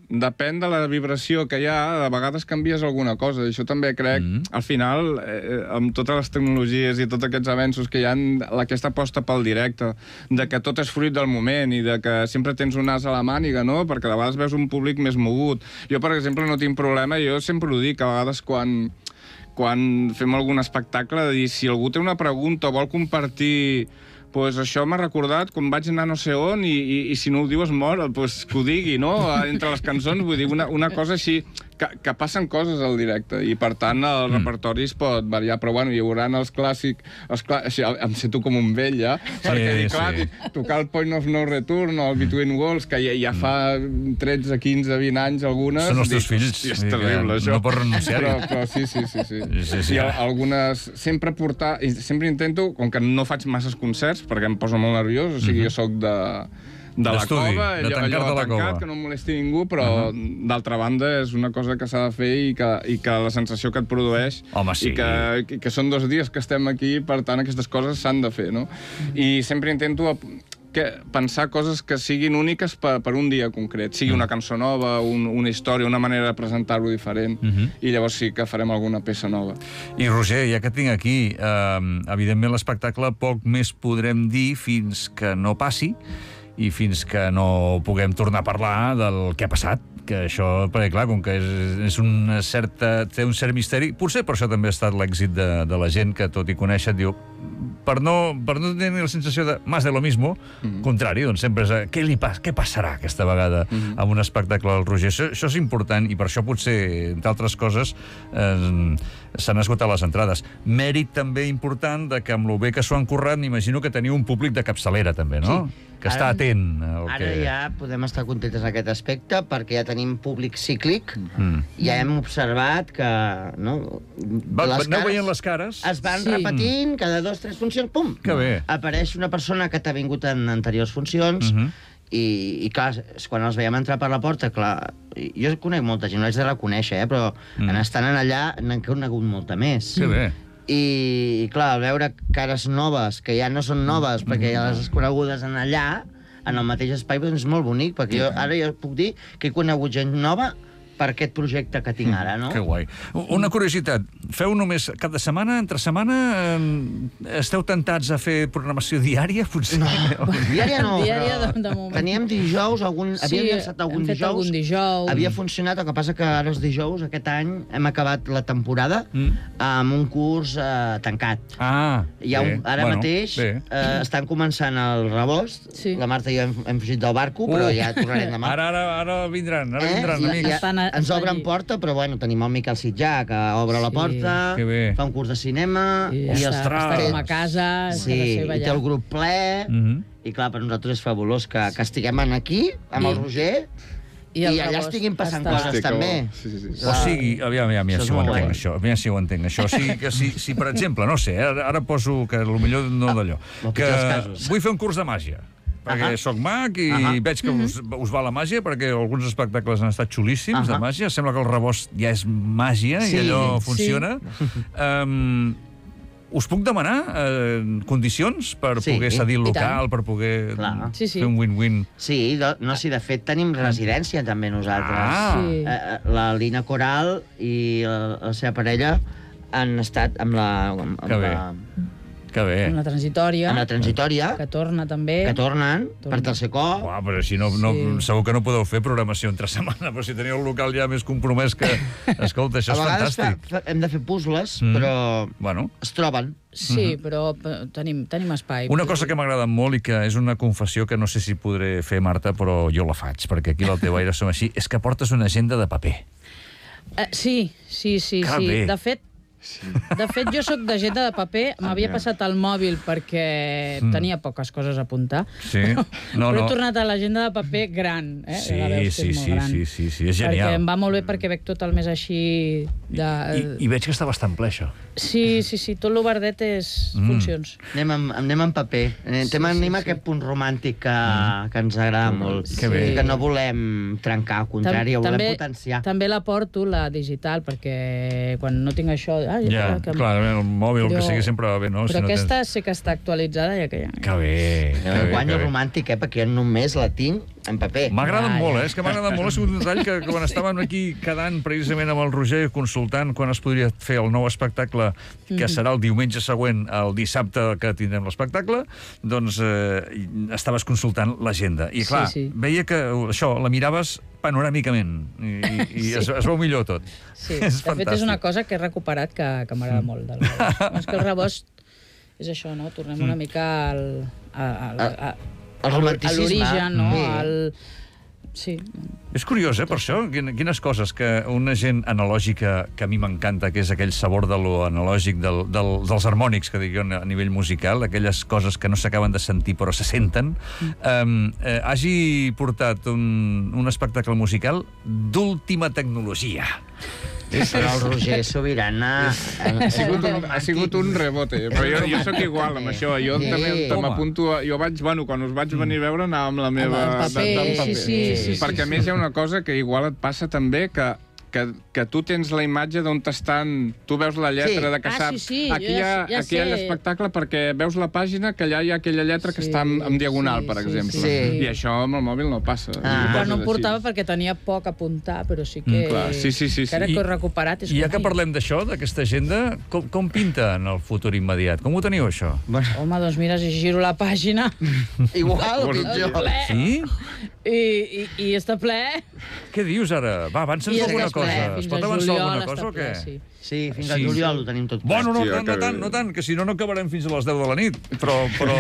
depèn de la vibració que hi ha, a vegades canvies alguna cosa, i això també crec, Mhm. al final, eh, amb totes les tecnologies i tots aquests avenços que hi ha, aquesta aposta pel directe, de que tot és fruit del moment i de que sempre tens un as a la màniga, no?, perquè a vegades veus un públic més mogut. Jo, per exemple, no tinc problema, jo sempre ho dic, a vegades quan quan fem algun espectacle, de dir, si algú té una pregunta o vol compartir, pues això m'ha recordat quan vaig anar no sé on i, i, i si no ho diu es mor, pues que ho digui, no?, entre les cançons, vull dir, una, una cosa així, que, que passen coses al directe, i per tant el mm. repertori es pot variar, però bueno, hi haurà els clàssics, els clà... així, em sento com un vell, ja, sí, perquè dic, clar, sí. tocar el Point of No Return o el Between Worlds, que ja, ja fa tretze, quinze, vint anys algunes... Són els teus dic, fills, hòstia, és vull dir que terrible, això. no pots renunciar-hi. Però, però sí, sí, sí. sí. Sí, sí, sí. I al- algunes... Sempre portar... i Sempre intento, com que no faig masses concerts, perquè em poso molt nerviós, o sigui, jo sóc de... de la D'estudi, cova, de allò, tancar-te allò a la tancat, cova. que no em molesti ningú, però uh -huh. d'altra banda és una cosa que s'ha de fer i que, i que la sensació que et produeix Home, sí. i que, i que són dos dies que estem aquí, per tant aquestes coses s'han de fer, no? I sempre intento ap- que pensar coses que siguin úniques per, per un dia concret, sigui una cançó nova, un, una història, una manera de presentar-ho diferent, uh -huh. i llavors sí que farem alguna peça nova. I Roger, ja que et tinc aquí, eh, evidentment l'espectacle poc més podrem dir fins que no passi i fins que no puguem tornar a parlar del que ha passat, que això, perquè clar, com que és, és una certa, té un cert misteri, potser per això també ha estat l'èxit de, de la gent que, tot i conèixer, diu, per no, per no tenir la sensació de más de lo mismo, mm -hmm. contrari, doncs sempre és a, què, li pas, què passarà aquesta vegada mm -hmm. amb un espectacle del Roger? Això, això és important i per això potser, entre altres coses, eh, s'han esgotat les entrades. Mèrit també important de que amb lo bé que s'ho han currat, m'imagino que teniu un públic de capçalera també, no? Sí. Que està Ara- atent al Ara que... ja podem estar contentes en aquest aspecte perquè ja tenim públic cíclic, Mm. ja hem observat que no, Va, aneu veient les cares? es van Sí. repetint cada dos, tres funcions, pum! Que bé. Apareix una persona que t'ha vingut en anteriors funcions, Mhm. i, i clar, és quan els veiem entrar per la porta, clar, jo conec molta gent, no haig de reconèixer, eh, però Mm. en estant en allà n'han conegut molta més. Que bé. I, i clar, al veure cares noves, que ja no són noves, perquè ja les has conegudes en allà, en el mateix espai, doncs és molt bonic, perquè jo, ara jo puc dir que he conegut gent nova per aquest projecte que tinc ara, no? Que guai. Una curiositat, feu només cap de setmana, entre setmana, eh, esteu tentats a fer programació diària, potser? No, diària no, Diària però de- de moment. teníem dijous, algun, Sí, havíem llançat algun hem fet dijous, algun dijous. havia funcionat, el que passa que ara els dijous, aquest any, hem acabat la temporada Mm. amb un curs eh, tancat. Ah, Hi ha bé. un, ara Bueno, mateix bé. eh, estan començant el rebost, Sí. la Marta i jo hem, hem fugit del barco, però Uh. ja tornarem demà. Ara, ara, ara vindran, ara Eh? vindran, I- amics. i- Estan ens obren porta, però bueno, tenim el Miquel Sitjà, que obre la Sí. porta, Que bé. fa un curs de cinema, I i ja està, ostres. està com a casa, Sí, està la seva i té allà. el grup ple, Mhm. i clar, per nosaltres és fabulós que, que estiguem aquí, amb el I- Roger, i, el allà rebost estiguin passant està- coses Hosti, que també. bo. Sí, sí, sí. O sigui, aviam, aviam, aviam Això si és ho molt entenc, guai. això. Aviam si ho entenc, això. O sigui, que si, si per exemple, no sé, ara, ara poso que potser no d'allò, el que pitjor dels casos. vull fer un curs de màgia, perquè Ahà. sóc mag i Ahà. veig que us, us va la màgia, perquè alguns espectacles han estat xulíssims de Ahà. màgia. Sembla que el rebost ja és màgia Sí, i allò sí. funciona. Um, us puc demanar eh, condicions per Sí, poder cedir el i local, tant. per poder Clar. Sí, sí. fer un win-win? Sí, de, no, sí, de fet tenim residència també nosaltres. Ah. Sí. Eh, eh, la Lina Coral i la, la seva parella han estat amb la, amb, Que bé. la, Que bé. Amb la transitòria, amb la transitòria, que torna també. que tornen Torna. per tercer cop. Uah, però així no, no, Sí. segur que no podeu fer programació entre setmana, però si teniu el local ja més compromès que... Escolta, això A és vegades fa, fantàstic. fa, hem de fer puzzles, Mm. però Bueno, es troben. Sí, però eh, tenim, tenim espai. una cosa que m'agrada molt i que és una confessió que no sé si podré fer, Marta, però jo la faig, perquè aquí al teu aire som així, és que portes una agenda de paper. Eh, sí, sí, sí. Que sí. bé. De fet, de fet, jo sóc d'agenda de paper, m'havia passat al mòbil perquè Mm. tenia poques coses a apuntar. Sí? No, Però no. he tornat a l'agenda de paper gran, eh? Sí, Ja la veus que sí, és molt sí, gran. sí, sí, sí, és Perquè genial. em va molt bé perquè veig tot el més així de... I, I veig que està bastant ple, això. Sí, sí, sí, tot l'oberdet és Mm. funcions. Anem amb, anem amb paper. Eh, Sí, Anem sí, a sí. aquest punt romàntic que, que ens agrada molt. Que bé. I que no volem trencar, al contrari, ho volem potenciar. També la porto, la digital, perquè quan no tinc això... Ah, Ja, que... clar, el mòbil, el que Però- sigui, sempre va bé, no? Però si no aquesta tens... sí que està actualitzada i aquella... Que bé, que Eh, bé, Guanyo que bé. romàntic, eh? Perquè jo només la tinc en paper. M'ha agradat Ja, molt, ja. eh? És que m'ha agradat molt. Ha sigut un detall que, que quan estàvem aquí quedant precisament amb el Roger, consultant quan es podria fer el nou espectacle, que serà el diumenge següent, el dissabte que tindrem l'espectacle, doncs eh, estaves consultant l'agenda. I clar, Sí, sí. veia que això, la miraves panoràmicament i, i, i es, es veu millor tot. Sí, és de fet és una fantàstic. cosa que he recuperat que, que m'agrada molt del rebost. És que el rebost és això, no? Tornem una mica al... A, a, a, a, El a romanticisme. l'origen, no? Sí. Al... Sí. És curiós, eh, per això? Quin- Quines coses que una gent analògica, que a mi m'encanta, que és aquell sabor de lo analògic, del, del, dels harmònics, que dic jo, a nivell musical, aquelles coses que no s'acaben de sentir però se senten, eh, eh, hagi portat un, un espectacle musical d'última tecnologia. Però el Roger Sobirana... Ha sigut un, ha sigut un rebote, però jo, jo sóc igual amb això. Jo Sí. també Home. m'apunto... a- Jo vaig, bueno, quan us vaig venir a veure, anava amb la meva... Amb el paper, de- del sí, sí, sí, sí, Perquè a més hi ha una cosa que igual et passa també, que que, que tu tens la imatge d'on t'estan... Tu veus la lletra Sí. de que Ah, saps... sí, sí, aquí jo hi ha, ja- ja aquí hi ha sé. l'espectacle perquè veus la pàgina que allà hi ha aquella lletra que Sí, està en, en diagonal, sí, per sí, exemple. sí. I això amb el mòbil no passa. Ah. I Quan no coses em portava així. perquè tenia poc a apuntar, però sí que... Mm, clar, sí, sí, sí, sí. Que ara I- que ho he recuperat és I ja com, que ai, parlem d'això, d'aquesta agenda, com, com pinta en el futur immediat? Com ho teniu, això? Bueno, Home, doncs mira, si giro la pàgina igual o Vols pitjor. ple. Sí? i, i, i està ple... Què dius ara? Va, avança'ns I és alguna que és ple, cosa. Es fins pot a avançar juliol alguna està cosa o ple, què? sí. Sí, fins Sí. al juliol ho tenim tot ple. Bueno, no, Hòstia, tant, no que tant, bé. no tant, que si no, no acabarem fins a les deu de la nit. Però, però,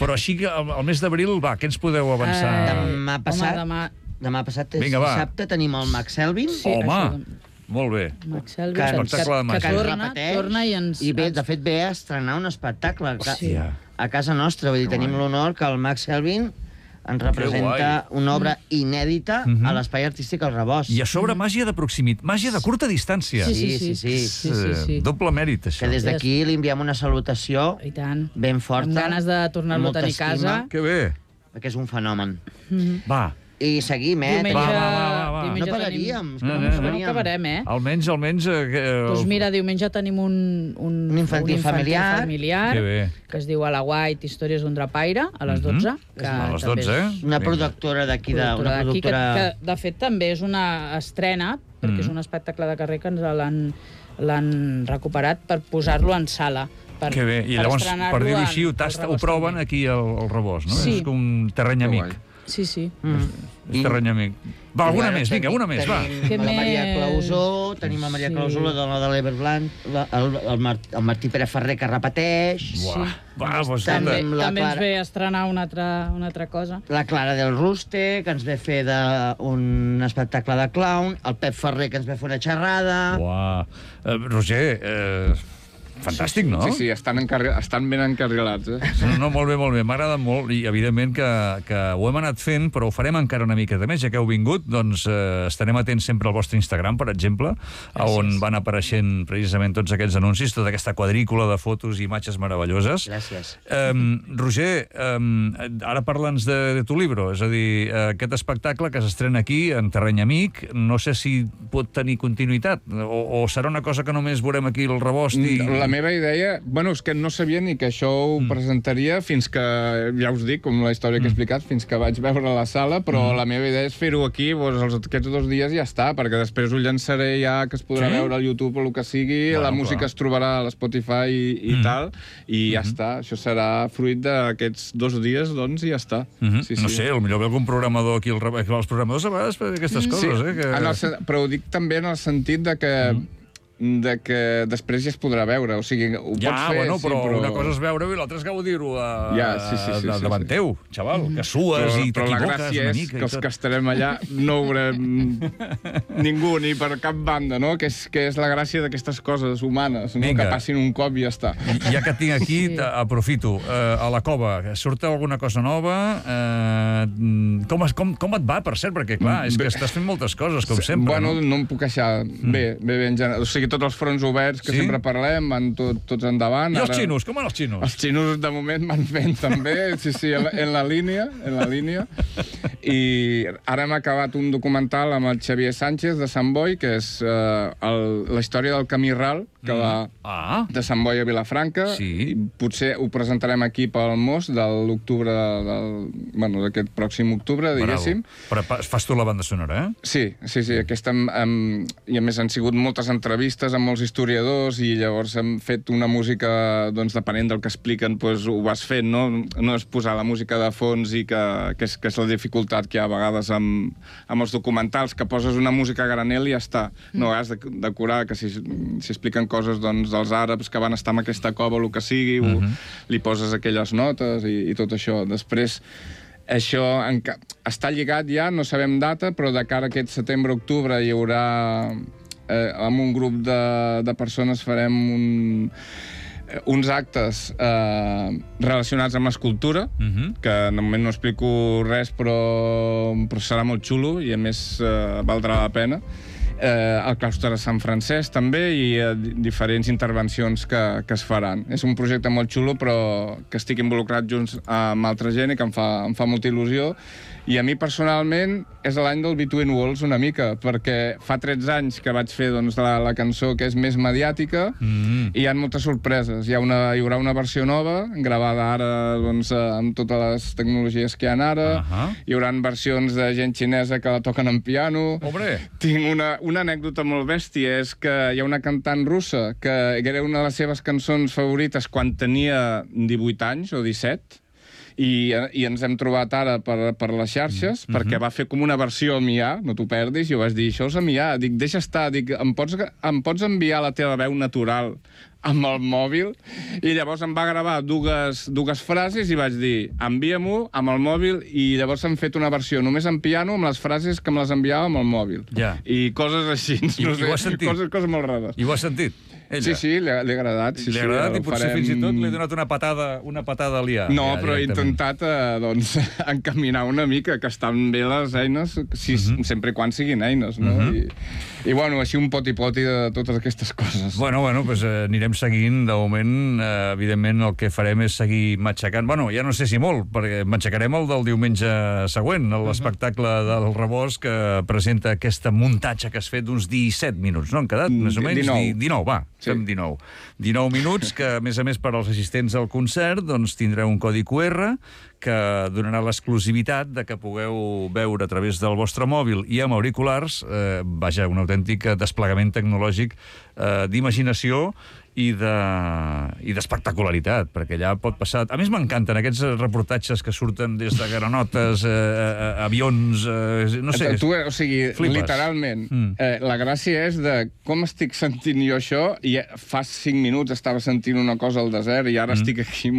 però així que al al mes d'abril, va, què ens podeu avançar? Eh, Demà passat, Home, demà... demà passat és Vinga, va. dissabte, tenim el Max Elvin. Sí, Home, això, molt bé. Max Elvis, Que- que, espectacle de que, màgia. que torna, repeteix, torna i ens... I bé, ens- de fet, ve a estrenar un espectacle a, Sí. a casa nostra. Vull dir, Que tenim guai. l'honor que el Max Elvin ens representa una obra inèdita Mhm. a l'Espai Artístic al Rebost. I a sobre màgia de proximitat, màgia de curta distància. Sí, sí, Sí, sí. sí, sí. sí, sí, sí. Eh, Doble mèrit, això. Que des d'aquí li enviem una salutació I tant. ben forta. Amb ganes de tornar-lo a molta tenir a casa. estima, Que bé. perquè és un fenomen. Mhm. Va, I seguim, eh? Diumenge, Va, va, va, va. diumenge No pararíem, és que No, no, no, no no. No pararíem. acabarem, eh? almenys, almenys... Eh, eh, Doncs mira, diumenge tenim un, un, Un infantil familiar. familiar Que bé. que es diu A la White, Històries d'un drapaire, a les Mhm. dotze. Que A les també dotze, és eh? Una Vinga. productora d'aquí, de, una productora d'aquí, productora... que, que de fet també és una estrena, perquè Mm. és un espectacle de carrer que ens l'han l'han recuperat per posar-lo en sala. Per, Que bé. I per llavors, estrenar-lo per dir-ho en- així, ho, al tasta, ho Rebost proven també. aquí al, al Rebost, no? Sí. És com un terreny Que amic. guai. Sí, sí. És terreny amic. Va, alguna Bueno, més, vinga, una més, va. Tenim Què la Maria més? Clausó, tenim la Maria Sí. Clausó, la dona de l'Everblanc, la- el, el, Mar, el Martí Pere Ferrer, que repeteix, Buah, va, doncs També- escolta. amb la També ens Clara. ve a estrenar una altra, una altra cosa. la Clara del Ruste, que ens ve fer de, un espectacle de clown, el Pep Ferrer, que ens ve fer una xerrada... Uah. Eh, Roger, eh, fantàstic, no? Sí, sí, estan, encarri... estan ben encarrilats, eh? No, no, molt bé, molt bé. M'ha agradat molt i, evidentment, que, que ho hem anat fent, però ho farem encara una miqueta més. Ja que heu vingut, doncs eh, estarem atents sempre al vostre Instagram, per exemple, a on van apareixent precisament tots aquests anuncis, tota aquesta quadrícula de fotos i imatges meravelloses. Gràcies. Um, Roger, um, ara parla'ns de, de tu libro, és a dir, uh, aquest espectacle que s'estrena aquí, en Terreny Amic, no sé si pot tenir continuïtat, o, o serà una cosa que només veurem aquí al Rebost i... La meva idea... Bueno, és que no sabia ni que això ho mm. presentaria fins que, ja us dic, com la història que he explicat, fins que vaig veure la sala, però mm. la meva idea és fer-ho aquí, doncs, els, aquests dos dies ja està, perquè després ho llançaré ja, que es podrà Sí? veure al YouTube o el que sigui, Bueno, la música clar. es trobarà a l'Spotify i, i Mm. tal, i ja està. Això serà fruit d'aquests dos dies, doncs, i ja està. Mm -hmm. sí, No sí. sé, potser ve algun programador aquí, al Rebost, els programadors a vegades fan aquestes coses, sí, eh? Que... en el, sen- però ho dic també en el sentit de que mm. de que després ja es podrà veure, o sigui, ho Ja, pots fer, bueno, sí, però, però una cosa és veure-ho i l'altra és gaudir-ho a, Ja, sí, sí, sí, a, sí, davant sí. teu, xaval, que sues però, i però la t'equivoques gràcia una és mica que i els tot. que estarem allà no ho veurem ningú, ni per cap banda, no? Que és, que és la gràcia d'aquestes coses humanes, no? Vinga. Que passin un cop i ja està. I ja que et tinc aquí, Sí. aprofito. Uh, a la cova, surt alguna cosa nova? Uh, com, es- com, com et va, per cert? Perquè, clar, és que estàs fent moltes coses, com sempre, Bueno, no? no em puc queixar. Bé, bé, bé, en general. O sigui, tots els fronts oberts que Sí? sempre parlem, van tot, tots endavant. I els Ara- xinos, com van els xinos? Els xinos, de moment, van fent també, sí, sí, en la, en la línia, en la línia. I ara hem acabat un documental amb el Xavier Sánchez, de Sant Boi, que és uh, el, la història del camí ral, que va Ah, de Sant Boi a Vilafranca. Sí. I potser ho presentarem aquí pel Mos de l'octubre, del, bueno, d'aquest pròxim octubre, diguéssim. bravo. Però pa- fas tu la banda sonora, eh? Sí, sí, sí. Aquesta, um, um, I a més han sigut moltes entrevistes amb molts historiadors i llavors hem fet una música, doncs, depenent del que expliquen, doncs, ho vas fent, no? No és posar la música de fons i que, que, és, que és la dificultat que hi ha a vegades amb, amb els documentals, que poses una música a granel i ja està. No has de decorar, que si, si expliquen coses, doncs, dels àrabs que van estar en aquesta cova o el que sigui, uh -huh. li poses aquelles notes i, i tot això. Després, això enca... està lligat ja, no sabem data, però de cara a aquest setembre-octubre hi haurà, eh, amb un grup de, de persones farem un, eh, uns actes eh, relacionats amb escultura, Uh -huh. que de moment no explico res, però, però serà molt xulo i a més eh, valdrà la pena. Eh, al claustre de Sant Francesc també i eh, diferents intervencions que, que es faran. És un projecte molt xulo però que estic involucrat junts amb altra gent i que em fa, em fa molta il·lusió. I a mi personalment és l'any del Between Walls una mica, perquè fa tretze anys que vaig fer, doncs, la, la cançó que és més mediàtica Mm. i hi ha moltes sorpreses. Hi, ha una, hi haurà una versió nova, gravada ara, doncs, amb totes les tecnologies que hi ha ara. Ahà. Hi haurà versions de gent xinesa que la toquen en piano. Hombre. Tinc una, una anècdota molt bèstia, és que hi ha una cantant russa que era una de les seves cançons favorites quan tenia divuit anys o disset, i, i ens hem trobat ara per, per les xarxes, mm -hmm. perquè va fer com una versió a Mia, no t'ho perdis, i jo vaig dir, això és a Mia, dic, deixa estar, dic, em pots, em pots enviar la teva veu natural amb el mòbil? I llavors em va gravar dues, dues frases i vaig dir, envia-m'ho amb el mòbil, i llavors hem fet una versió només en piano amb les frases que me les enviava amb el mòbil. Ja. I coses així, I- no i sé, ho has sentit? coses, coses molt rares. I ho has sentit? Ella? Sí, sí, li ha, li ha agradat. Sí, Li ha sí, agradat ho i potser farem- fins i tot li he donat una patada, una patada a l'I A. No, ja, però he directament. intentat eh, doncs, encaminar una mica, que estan bé les eines, si, uh -huh. sempre i quan siguin eines, no? Uh -huh. I, I, bueno, així un poti-poti de totes aquestes coses. Bueno, bueno, doncs eh, anirem seguint. De moment, eh, evidentment, el que farem és seguir matxacant. Bueno, ja no sé si molt, perquè matxacarem el del diumenge següent, l'espectacle del Rebost, que presenta aquesta muntatge que has fet d'uns disset minuts, no? Han quedat, més o menys? dinou. Di- dinou, va, Sí. fem dinou. dinou minuts, que, a més a més, per als assistents al concert, doncs tindreu un codi Q R que donarà l'exclusivitat de que pugueu veure a través del vostre mòbil i amb auriculars, eh, vaja, un autèntic desplegament tecnològic eh, d'imaginació i d'espectacularitat, de, perquè allà pot passar... A més, m'encanten aquests reportatges que surten des de granotes, eh, eh, avions, eh, no sé... Tu, o sigui, flipes. Literalment, mm. eh, la gràcia és de com estic sentint jo això, i fa cinc minuts estava sentint una cosa al desert i ara mm. estic aquí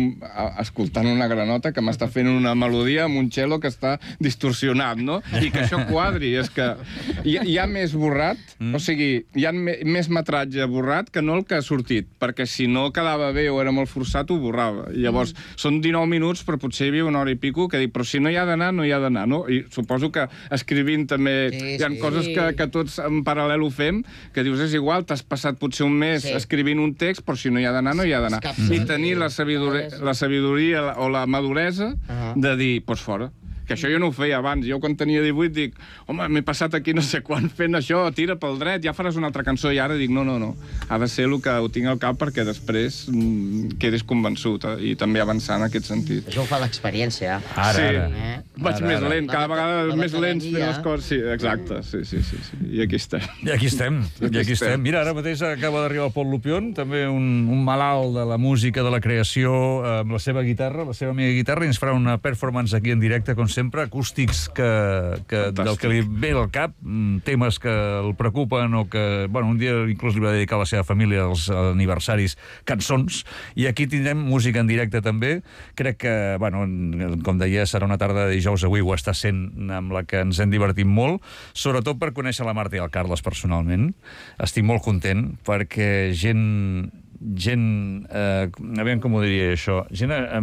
escoltant una granota que m'està fent una melodia amb un cello que està distorsionat, no? I que això quadri, és que hi, hi ha més borrat, mm. o sigui, hi ha me, més metratge borrat que no el que ha sortit, perquè si no quedava bé o era molt forçat, ho borrava. I llavors, mm. són dinou minuts, però potser hi havia una hora i pico que dic, però si no hi ha d'anar, no hi ha d'anar, no? I suposo que escrivint també sí, hi ha sí. coses que, que tots en paral·lel ho fem, que dius, és igual, t'has passat potser un mes sí. escrivint un text, però si no hi ha d'anar, no hi ha d'anar. I tenir la sabidoria, la sabidoria o la maduresa uh -huh. de dir, doncs fora. Que això jo no ho feia abans. Jo quan tenia divuit dic, home, m'he passat aquí no sé quan fent això, tira pel dret, ja faràs una altra cançó. I ara dic, no, no, no. Ha de ser el que ho tinc al cap perquè després mm, quedis convençut eh? I també avançar en aquest sentit. Això ho fa l'experiència. Ara, sí. ara. Eh? Vaig ara, més ara. lent, cada vegada la més lents fent veterania. les coses. Sí, exacte, sí, sí, sí, sí. I aquí estem. I aquí estem, i aquí, aquí estem. estem. Mira, ara mateix acaba d'arribar el Pol Lupion, també un, un malalt de la música, de la creació, amb la seva guitarra, la seva amiga guitarra, i ens farà una performance aquí en directe, com sempre, acústics que, que del que li ve al cap, temes que el preocupen o que, bueno, un dia inclús li va dedicar a la seva família als aniversaris cançons, i aquí tindrem música en directe també. Crec que, bueno, com deia, serà una tarda de dijous, avui ho està sent, amb la que ens hem divertit molt, sobretot per conèixer la Marta i el Carles personalment. Estic molt content perquè gent gent, eh, aviam com ho diria això, gent eh,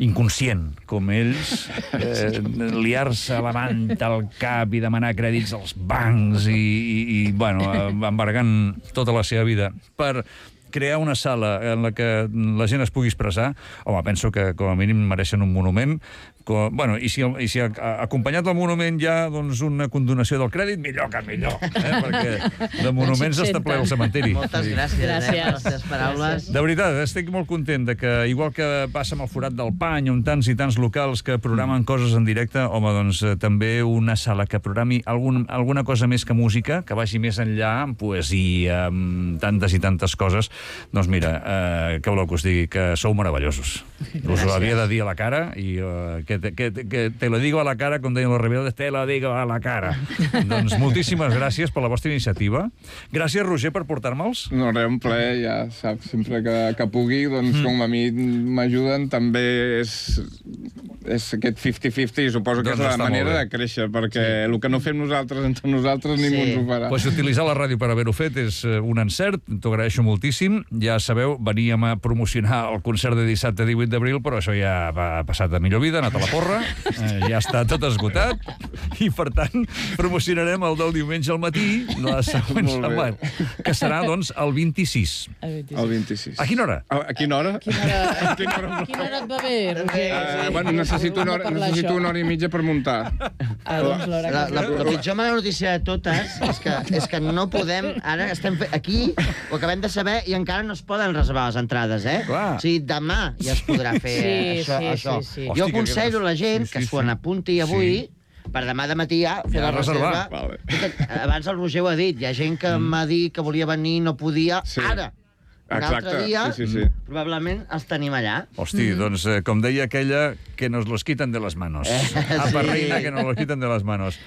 inconscient, com ells, eh, liar-se a la manta al cap i demanar crèdits als bancs i, i, i bueno, embargant tota la seva vida per crear una sala en la que la gent es pugui expressar. Home, penso que com a mínim mereixen un monument. Com, bueno, i si, i si acompanyat del monument hi ha doncs, una condonació del crèdit, millor que millor, eh? Perquè de monuments està ple el cementiri. Moltes gràcies, gràcies. Eh, per les teves paraules. De veritat, estic molt content de que, igual que passa amb el Forat del Pany, on tants i tants locals que programen coses en directe, home, doncs també una sala que programi algun, alguna cosa més que música, que vagi més enllà, amb poesia, amb tantes i tantes coses. Doncs mira, eh, què voleu que us digui? Que sou meravellosos. Us ho havia de dir a la cara i eh, que, te, que, que te lo digo a la cara, com deien los rebeldes, te lo digo a la cara. Doncs moltíssimes gràcies per la vostra iniciativa. Gràcies, Roger, per portar-me'ls. No, res, un plaer, ja saps, sempre que, que pugui, doncs mm. com a mi m'ajuden, també és, és aquest cinquanta cinquanta i suposo que doncs és la manera de créixer, perquè sí. el que no fem nosaltres entre nosaltres ningú sí. ens ho farà. Pues utilitzar la ràdio per haver-ho fet és un encert, t'ho agraeixo moltíssim. Ja sabeu, veníem a promocionar el concert de dissabte divuit d'abril, però això ja ha passat a millor vida, ha anat a la porra, eh, ja està tot esgotat, i per tant promocionarem el del diumenge al matí, la següent setmana, que serà, doncs, el vint-i-sis. El vint-i-sis. A quina hora? A, a quina hora? A quina hora, a quina hora, a quina hora et va bé, Roger? Uh, bueno, necessito una, hora, necessito una hora i mitja per muntar. Ah, doncs l'hora que... La, la, la pitjor mala notícia de totes és que, és que no podem... Ara estem fe... aquí, ho acabem de saber, i encara no es poden reservar les entrades, eh? Clar. O sigui, demà ja es podrà fer sí, això. sí, això. Sí, sí. Jo aconsello a la gent sí, sí, que s'ho n'apunti avui, sí. per demà de matí ja fer Ja la reserva. Vale. Abans el Roger ho ha dit, hi ha gent que mm. m'ha dit que volia venir i no podia. Sí. Ara, un Exacte. altre dia, sí, sí, sí. probablement els tenim allà. Hosti, mm. doncs, eh, com deia aquella, que nos los quitan de les manos. Eh, Apa, sí. reina, que nos los quitan de les manos.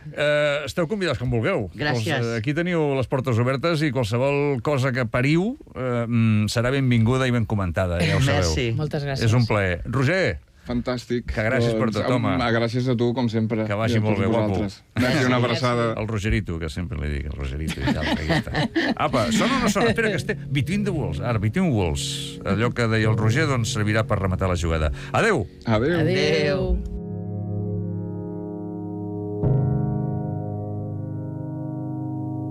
Eh, esteu convidats com vulgueu. Gràcies. Els, eh, aquí teniu les portes obertes i qualsevol cosa que pariu eh, serà benvinguda i ben comentada, ja ho sabeu. Merci. Moltes gràcies. És un plaer. Roger, Fantàstic. Que gràcies per tot, home. Doncs, gràcies a tu, com sempre. Que vagi I a molt tots bé, guapo. vosaltres. Gràcies, una abraçada. el Rogerito, que sempre li dic, el Rogerito i tal. Aquí està. Apa, sona o no sona? Espera, que esté... Between the Walls. Ara, Between Walls. Allò que deia el Roger, doncs servirà per rematar la jugada. Adéu! Adéu. Adéu.